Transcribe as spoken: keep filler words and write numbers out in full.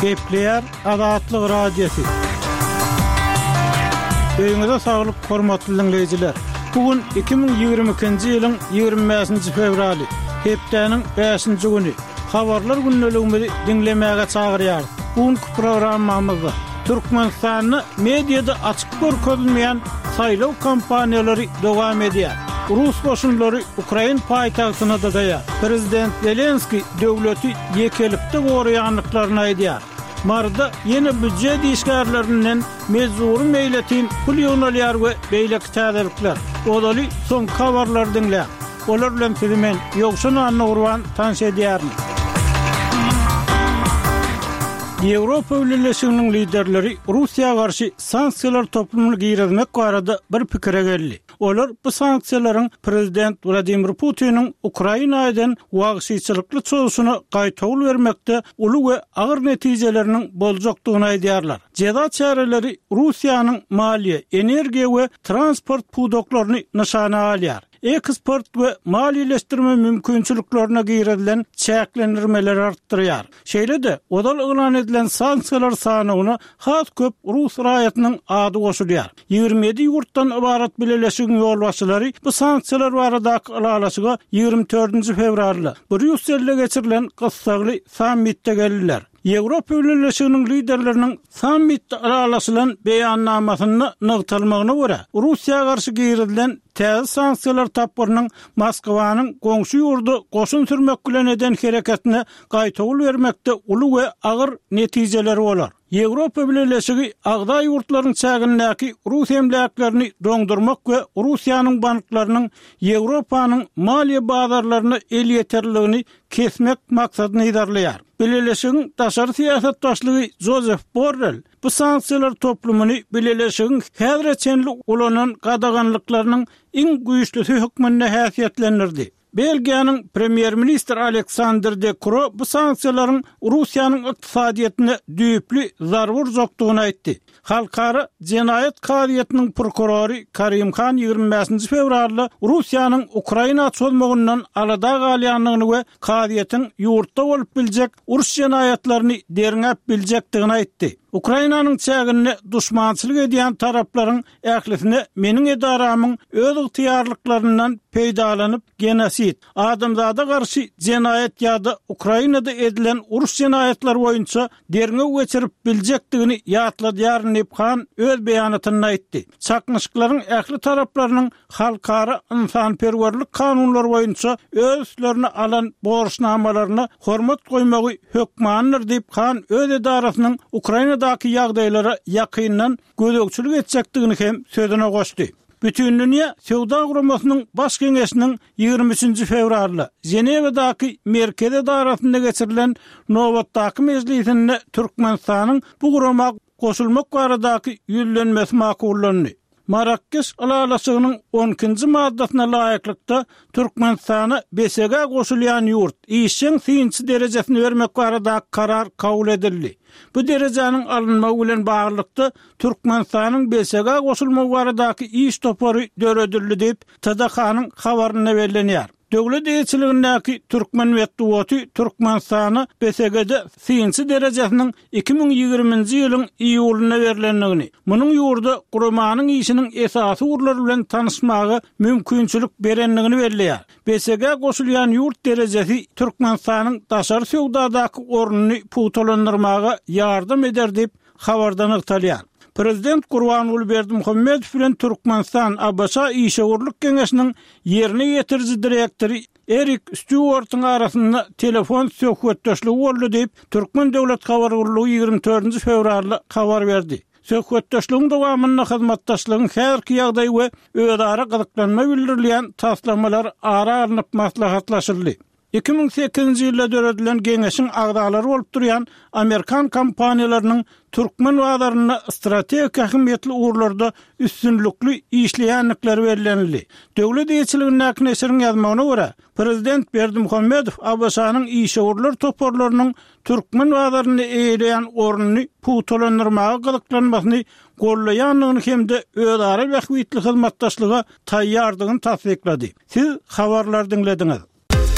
Gepleýär Azatlyk Radiosy. Öýüňize saglyk, hormatly diňleýjiler. Bu gün iki müň ýigrimi ikinji ýylyň ýigrimi bäşinji fewraly, hepdäniň bäşinji güni. Habarlar gündeligimizi diňlemäge çagyrýarys. Bu günki programmamyzda Türkmenistanda mediada açyk görkezilmeýän saýlaw kampaniýalary dowam edýär. Rus goşunlary ukrain paýtagtyna dyzaýar. Prezident Zelenskiý döwleti ýekelikde goraýandyklaryny aýdýar. Maryda ýene býujet işgärlerinden mejbury meýletin pul ýygnalýar we beýleki täzelikler. Ozaly soňky habarlary diňläň. Olar bilen sizi men, Ýowşan Annagurban tanyş edýärin. Ýewropa Bileleşiginiň liderleri Russiýa garşy sanksiýalar toplumyny girizmek barada bir pikire geldi. Olar bu sanksiýalaryň prezident Wladimir Putiniň Ukraina eden wagşyçylykly çozuşyna gaýtawul bermekde uly we agyr netijeleriniň boljakdygyny aýdýarlar. Jeza çäreleri Russiýanyň maliýe, energiýa we transport pudaklaryny nyşana alýar. Eksport we maliýeleşdirme mümkinçiliklerine girizilen çäklendirmeleri artdyrýar. Şeýle-de, ozal yglan edilen sanksiýalar sanawyna has köp rus raýatynyň ady goşulýar. Ýigrimi ýedi ýurtdan ybarat bileleşigiň ýolbaşçylary bu sanksiýalar baradaky ylalaşyga ýigrimi dördünji fewralda Brýusselde geçirilen gyssagly sammitde geldiler. Ýewropa Bileleşiginiň liderleriniň sammitde ylalaşylan beýannamasynda nygtalmagyna görä, Russiýa garşy girizilen täze sanksiýalar tapgyrynyň Moskwanyň goňşy ýurda goşun sürmek bilen eden hereketine gaýtawul bermekde uly we agyr netijeleri bolar. Ýewropa Bileleşigi agza ýurtlaryň çägindäki rus emläklerini doňdurmak we Russiýanyň banklarynyň Ýewropanyň maliýe bazarlaryna elýeterliligini kesmek maksadyny yzarlaýar. Bileleşigiň daşary syýasat başlygy Jozef Borrell bu sanksiýalar toplumyny Bileleşigiň häzire çenli ulanan gadaganlyklarynyň iň güýçlüsi hökmünde häsiýetlendirdi. Belgiýanyň premýer-ministri Aleksandr De Kro bu sanksiýalaryň Russiýanyň ykdysadyýetine düýpli zarba urjakdygyny aýtdy. Halkara jenaýat kazyýetiniň prokurory Karim Han ýigrimi bäşinji fewralda Russiýanyň Ukraina çozmagyndan alada galýandygyny we kazyýetiň ýurtda bolup biljek uruş jenaýatlaryny derňäp biljekdigini aýtdy. Ukrainanyň çäginde duşmançylyk edýän taraplaryň ählisine meniň edaramyň öz ygtyýarlyklaryndan peýdalanyp genosid, adamzada garşy jenaýat ýa-da Ukrainada edilen uruş jenaýatlary boýunça derňew geçirip biljekdigini ýatladýaryn diýip Han öz beýanatynda aýtdy. Çaknyşyklaryň ähli taraplarynyň halkara ynsanperwerlik kanunlary boýunça öz üstlerine alan borçnamalaryna hormat goýmagy hökmandyr diýip Han öz edarasynyň Ukrainadaky ýagdaýlara ýakyndan gözegçilik etjekdigini hem sözüne goşdy. Bütindünýä Söwda Guramasynyň Baş Geňeşiniň ýigrimi üçünji fewralda Ženewadaky merkezi edarasynda geçirilen nobatdaky mejlisinde Türkmenistanyň bu gurama goşulmak baradaky ýüzlenmesi makullandy. Marrakeş ylalaşygynyň on ikinji maddasyna laýyklykda Türkmenistana B S G goşulýan ýurt işjeň synçy derejesini bermek baradaky karar kabul edildi. Bu derejäniň alynmagy bilen baglylykda Türkmenistanyň B S G goşulmagy baradaky iş topary döredildi diýip T D K-nyň habarynda bellenýär. Döwlet eýeçiligindäki Türkmen metbugaty Türkmenistana B S G-de synçy derejesiniň iki müň ýigriminji ýylyň iýulynda berlendigini, munuň ýurda guramanyň işiniň esasy ugurlary bilen tanyşmaga mümkinçilik berendigini belleýär. B S G goşulýan ýurt derejesi Türkmenistanyň daşary söwdadaky ornuny pugtalandyrmaga ýardam eder diýip habarda nygtalýar. Prezident Gurbanguly Berdimuhamedow bilen Türkmenistan A B Ş Işewürlik Geňeşiniň ýerine ýetiriji direktory Erik Stýuartyň arasynda telefon söhbetdeşligi boldy diýip Türkmen döwlet habar gullugy ýigrimi dördünji fewralda habar berdi. Söhbetdeşligiň dowamynda hyzmatdaşlygyň häzirki ýagdaýy we özara gyzyklanma bildirilýän taslamalar ara alnyp maslahatlaşyldy. Iki müň sekizinji ýylda döredilen geňeşiň agzalary bolup durýan Amerikan kompaniýalarynyň türkmen bazarynda strategik ähmiýetli ugurlarda üstünlikli işleýändikleri bellenildi. Döwlet eýeçiligindäki neşiriň ýazmagyna görä, Prezident Berdimuhamedow A B Ş-nyň işewürler toparlarynyň türkmen bazarynda eýeleýän ornuny pugtalandyrmaga gyzyklanmasyny gollaýandygyny hem-de özara bähbitli hyzmatdaşlyga taýýardygyny tassyklady. Siz habarlar diňlediňiz.